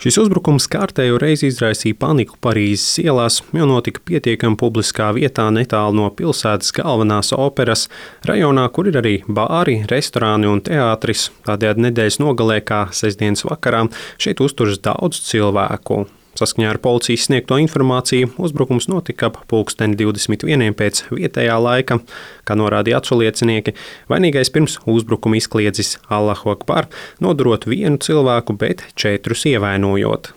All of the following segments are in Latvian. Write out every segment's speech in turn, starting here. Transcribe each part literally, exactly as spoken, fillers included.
Šis uzbrukums kārtējo reizi izraisīja paniku Parīzes ielās, jo notika pietiekami publiskā vietā netālu no pilsētas galvenās operas, rajonā, kur ir arī bāri, restorāni un teātris. Tādējādi nedēļas nogalē, kā sestdienas vakarā, šeit uzturas daudz cilvēku. Saskaņā ar policijas sniegto informāciju, uzbrukums notika ap pulksteni divdesmit vieniem pēc vietējā laika. Kā norādīja aculiecinieki, vainīgais pirms uzbrukuma izkliedzis Allahu Akbar, nodurot vienu cilvēku, bet četrus ievainojot.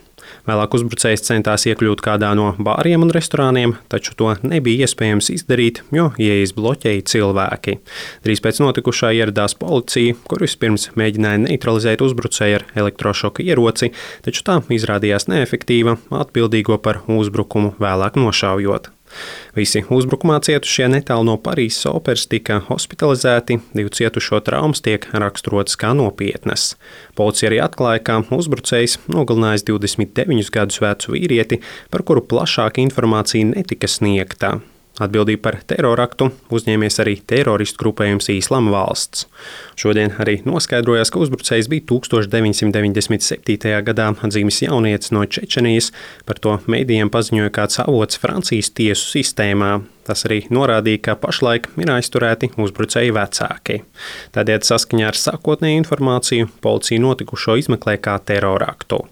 Vēlāk uzbrucējs centās iekļūt kādā no bāriem un restorāniem, taču to nebija iespējams izdarīt, jo ieejas bloķēja cilvēki. Drīz pēc notikušā ieradās policija, kur vispirms mēģināja neutralizēt uzbrucēju ar elektrošoka ieroci, taču tā izrādījās neefektīva, atbildīgo par uzbrukumu vēlāk nošaujot. Visi uzbrukumā cietušie netālu no Parīzes operas tika hospitalizēti, divu cietušo traumas tiek raksturotas kā nopietnas. Policija arī atklāja, ka uzbrucējs nogalinājis divdesmit deviņus gadus vecu vīrieti, par kuru plašāka informācija netika sniegta. Atbildību par teroraktu uzņēmies arī teroristu grupējums Īslama valsts. Šodien arī noskaidrojās, ka uzbrucējs bija tūkstoš deviņsimt deviņdesmit septītajā gadā dzimis jaunietis no Čečenijas, par to mēdījiem paziņoja kāds avots Francijas tiesu sistēmā. Tas arī norādīja, ka pašlaik ir aizturēti uzbrucēju vecāki. Tādēļ saskaņā ar sākotnēju informāciju policija notikušo izmeklē kā teroraktu.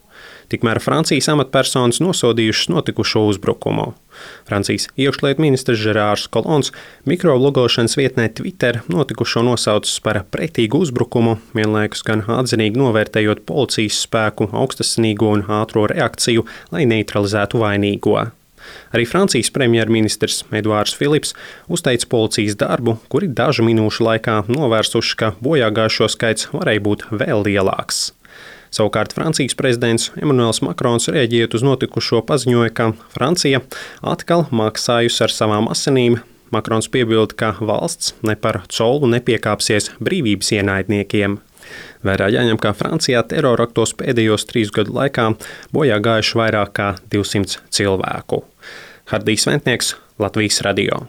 Tikmēr Francijas amatpersonas nosodījušas notikušo uzbrukumu. Francijas iekšlietu ministrs Žerārs Kolons mikrovlogošanas vietnē Twitter notikušo nosaucis par pretīgu uzbrukumu, vienlaikus gan atzinīgi novērtējot policijas spēku, augstasinīgo un ātro reakciju, lai neutralizētu vainīgo. Arī Francijas premjerministrs Eduards Filips uzteica policijas darbu, kuri dažu minūšu laikā novērsuši, ka bojāgājušo skaits varēja būt vēl lielāks. Savukārt Francijas prezidents Emmanuels Makrons rēģējot uz notikušo paziņoja, ka Francija atkal maksājusi ar savām asinīm. Makrons piebilda, ka valsts ne par colu nepiekāpsies brīvības ienaidniekiem. Vērā jāņem, ka Francijā teroraktos pēdējos trīs gadu laikā bojā gājuši vairāk kā divsimt cilvēku. Hardijs Ventnieks, Latvijas radio.